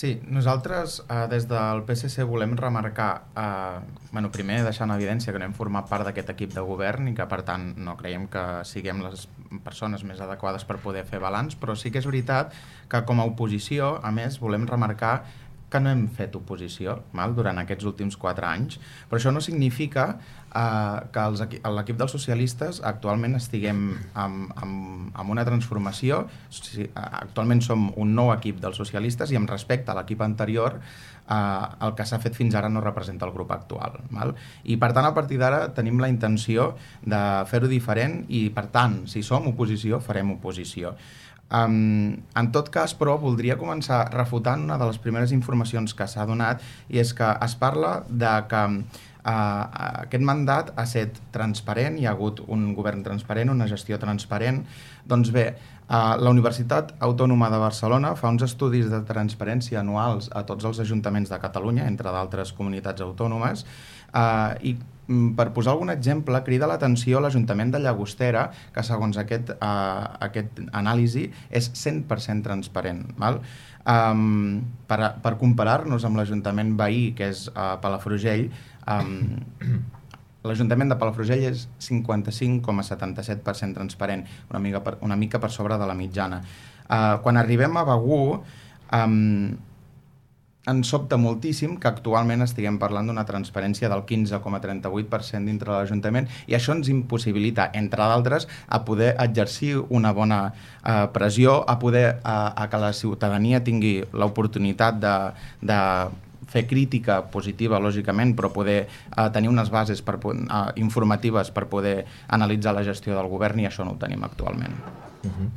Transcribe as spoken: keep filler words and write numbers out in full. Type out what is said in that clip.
Sí, nosaltres eh, des del P S C volem remarcar, eh, bueno, primer deixar en evidència que no hem format part d'aquest equip de govern i que per tant no creiem que siguem les persones més adequades per poder fer balanç, però sí que és veritat que com a oposició, a més, volem remarcar que no hem fet oposició val, durant aquests últims quatre anys, però això no significa eh, que els, l'equip dels socialistes actualment estiguem amb, amb, amb una transformació. Actualment som un nou equip dels socialistes i amb respecte a l'equip anterior eh, el que s'ha fet fins ara no representa el grup actual. Val? I per tant, a partir d'ara tenim la intenció de fer-ho diferent i per tant, si som oposició, farem oposició. Um, en tot cas, però, voldria començar refutant una de les primeres informacions que s'ha donat i és que es parla de que uh, aquest mandat ha estat transparent, hi ha hagut un govern transparent, una gestió transparent. Doncs bé, uh, la Universitat Autònoma de Barcelona fa uns estudis de transparència anuals a tots els ajuntaments de Catalunya, entre d'altres comunitats autònomes, uh, i per posar algun exemple, crida l'atenció l'Ajuntament de Llagostera, que segons aquest, uh, aquest anàlisi és cent per cent transparent. Val? Um, per, per comparar-nos amb l'Ajuntament veí, que és uh, Palafrugell, um, l'Ajuntament de Palafrugell és cinquanta-cinc coma setanta-set per cent transparent, una mica per, una mica per sobre de la mitjana. Uh, quan arribem a Begur, um, ens sobta moltíssim que actualment estiguem parlant d'una transparència del quinze coma trenta-vuit per cent dintre de l'Ajuntament i això ens impossibilita, entre d'altres, a poder exercir una bona eh, pressió, a poder a, a que la ciutadania tingui l'oportunitat de, de fer crítica positiva, lògicament, però poder eh, tenir unes bases per, eh, informatives per poder analitzar la gestió del govern i això no ho tenim actualment. Uh-huh.